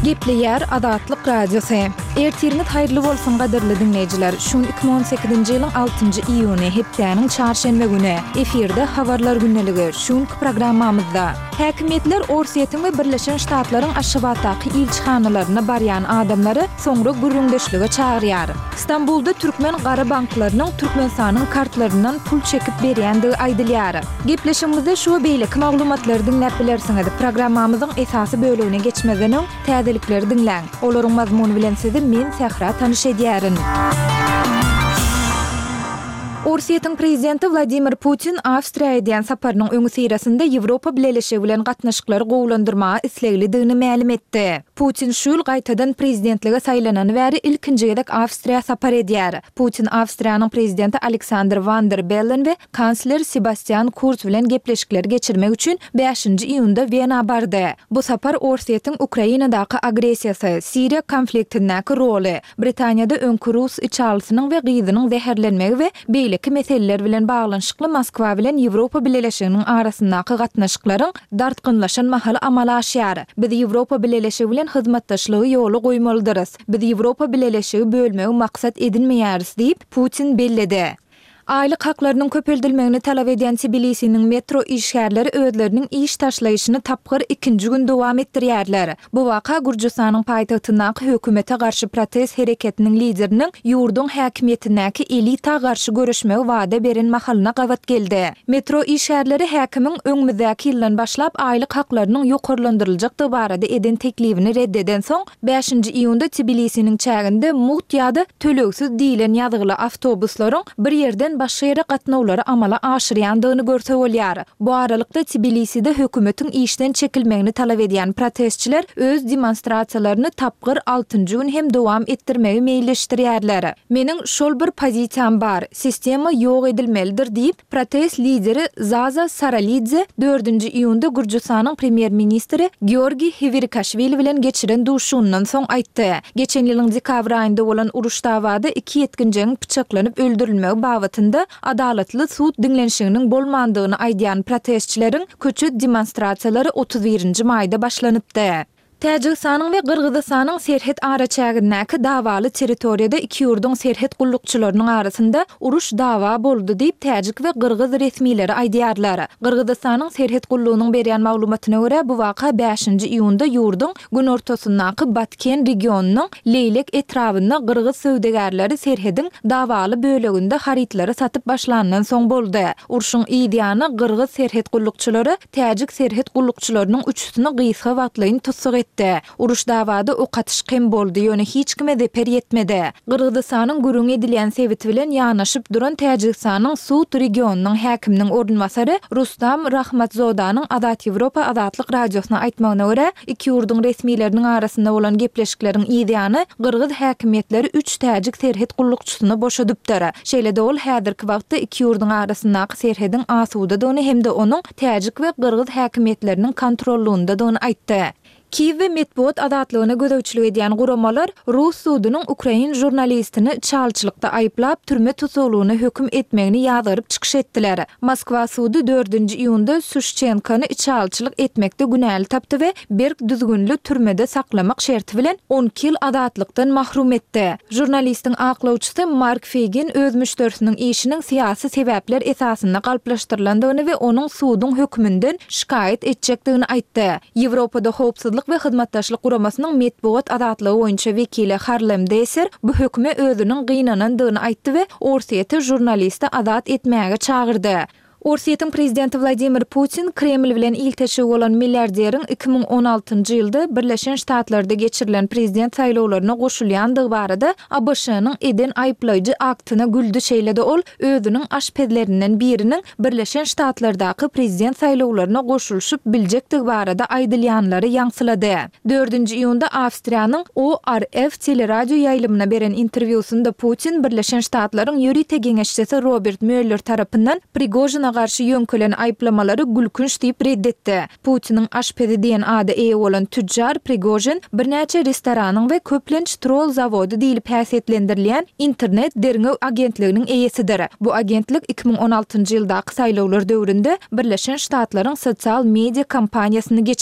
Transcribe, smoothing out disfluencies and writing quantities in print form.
Gepleýär Azatlyk Radiosy. Ertiriňiz haýyrly bolsun gadyrly diňleýjiler. Şu gün 2018-nji ýylyň 6-njy iýuny, hepdäniň çarşenbe güni. Efirde Habarlar gündeligi. Şu günki programmamyzda. Häkimiýetler Orsýetiň we Birleşen Ştatlaryň Aşgabatdaky ilçihanalaryna barýan adamlary soňra gürrüňdeşlige çagyrýar. Stambulda türkmen gara banklarynyň Türkmenistanyň kartlaryndan pul çekip berýändigi aýdylýar. Gepleşigimizde şu we beýleki maglumatlary diňläp bilersiňiz. Programmamyzyň esasy bölegine geçmezden öň, täzelikleri diňläň. Olaryň mazmuny bilen sizi men, Sähra tanyş edýärin. Orsýetiň prezidenti Wladimir Putin Awstriýa edýän saparynyň öňüsyrasynda Ýewropa Bileleşigi bilen gatnaşyklary gowulandyrmaga isleglidigini mälim etdi. Putin şu ýyl gaýtadan prezidentlige saýlanany bäri ilkinji gezek Awstriýa sapar edýär. Putin Awstriýanyň prezidenti Aleksandr Wan der Bellen we kansler Sebastian Kurz bilen gepleşikleri geçirmek üçin bäşinji iýunda Wena bardy. Bu sapar Orsýetiň Ukrainadaky agressiýasy, Siriýa konfliktindäki roly, Britaniýada öňki rus içalysynyň we gyzynyň zäherlenmegi we beýleki meseleler bilen baglanyşykly Moskwa bilen Ýewropa Bileleşiginiň arasyndaky gatnaşyklaryň dartgynlaşan mahaly amala aşýar. Biz Ýewropa Bileleşigi bilen hyzmatdaşlygy ýola goýmalydyrys. Biz Ýewropa Bileleşigi bölmegi maksat edinmeýäris diýip, Putin belledi. Aýlyk haklarynyň köpeldilmegini talap edýän Tbilisiniň metro işgärleri özleriniň iş taşlaýyşyny tapgyr ikinji gün dowam etdirýärler. Bu waka Gürjüstanyň paýtagtyndaky hökümete garşy protest hereketiniň lideriniň ýurduň häkimiýetindäki elita garşy göreşmegi wada beren mahalyna gabat geldi. Metro işgärleri häkimiň öňümizdäki ýyldan başlap aýlyk haklarynyň ýokarlandyryljakdygy barada eden teklibini red edensoň, Bäşinji iýunda Tbilisiniň çäginde mugt ýa-da tölegsiz diýlen ýazgyly awtobuslaryň bir ýerden başga ýere gatnawlary amala aşyrýandygyny görse bolýar. Bu aralykda Tbiliside hökümetiň işden çekilmegini talap edýän protestçiler öz demonstrasiýalaryny tapgyr altynjy gün hem dowam etdirmegi meýilleşdirýärler. Meniň şol bir pozisiýam bar, sistema ýok edilmelidir diýip, Protest lideri Zaza Saralidze dördünji iýunda Gürjüstanyň premýer-ministri Georgiý Hewirikaşwili bilen geçiren duşuşygyndan soň aýtdy. Geçen ýylyň dekabr aýynda bolan uruş-dawada iki ýetginjegiň pyçaklanyp öldürilmegi babatynda adalatly sud diňlenişiginiň bolmandygyny aýdýan protestçileriň köçe demonstrasiýalary 31 nji maýda başlanypdy. Täjigistanyň we Gyrgyzystanyň serhet araçägindäki dawaly territoriýada iki ýurduň serhet gullukçylarynyň arasynda uruş-dawa boldy diýip, täjik we gyrgyz resmileri aýdýarlar. Gyrgyzystanyň serhet gullugynyň berýän maglumatyna görä, bu waka bäşinji iýunda ýurduň günortasyndaky Batken regionynyň Leýlek etrabynda gyrgyz söwdagärleri serhediň dawaly böleginde harytlary satyp başlandan soň boldy. Urşuň yz ýany gyrgyz serhet gullukçylary Täjik serhet gullukçylarynyň üçüsini gysga wagtlaýyn tussag etdi. Uruş-dawada ok atyşyk hem boldy, ýöne hiç kime zeper ýetmedi. Gyrgyzystanyň gürrüňi edilýän sebiti bilen ýanaşyp duran Täjigistanyň Sud regionynyň häkiminiň orunbasary Rustam Rahmatzodanyň Azat Ýewropa Azatlyk Radiosyna aýtmagyna görä, iki ýurduň resmileriniň arasynda bolan gepleşikleriň yzýany gyrgyz häkimiýetleri üç täjik serhet gullukçysyny boşadypdyr. Şeýle-de ol häzirki wagtda iki ýurduň arasyndaky serhediň asudadygyny hem-de onuň täjik we gyrgyz häkimiýetleriniň kontrollygyndadygyny aýtdy. Kiýew we metbugat azatlygyna gözegçilik edýän guramalar rus sudunyň ukrain žurnalistini çalçylykda aýyplap, türme tussaglygyna höküm etmegini ýazgaryp çykyş etdiler. Moskwa sudy dördünji iýunda Suşçenkony içalyçylyk etmekde günäli tapdy we berk düzgünli türmede saklamak şerti bilen 12 ýyl azatlykdan mahrum etdi. Žurnalistiň aklawçysy Mark Feýgin öz müşderisiniň işiniň syýasy sebäpler esasynda galplaşdyrylandygyny we onuň suduň höküminden şikaýat etjekdigini aýtdy. Ýewropada Howpsuzlyk we Hyzmatdaşlyk Guramasynyň metbugat azatlygy boýunça wekili Harlem Desser bu höküme özüniň gynanandygyny aýtdy we Orsýeti žurnalisti azat etmäge çagyrdy. Orsýetiň prezidenti Wladimir Putin Kreml bilen ilteşigi bolan milliarderiň 2016-njy ýylda Birleşen Ştatlarda geçirilen prezident saýlawlaryna goşulýandygy barada ABŞ-nyň eden aýyplaýjy aktyna güldi şeýle-de ol özüniň aşpezlerinden biriniň Birleşen Ştatlardaky prezident saýlawlaryna goşulyşyp biljekdigi barada aýdylýanlary ýaňsylady. Dördünji iýunda Awstriýanyň ORF teleradioýaýlymyna beren interwýusynda Putin Birleşen Ştatlaryň ýörite geňeşçisi Robert Möller tarapyndan Prigožine garşy ýöňkelen aýyplamalary gülkünç diýip ret etdi. Putiniň aşpezi diýen ada eýe bolan tütjar Prigožin birnäçe restoranyň we köplenç troll zawody diýlip häsiýetlendirilýän internet derňew agentliginiň eýesidir. Bu agentlik 2016-njy ýyldaky saýlawlar döwründe Birleşen Ştatlaryň sosial media kampaniýasyny geçiripdi.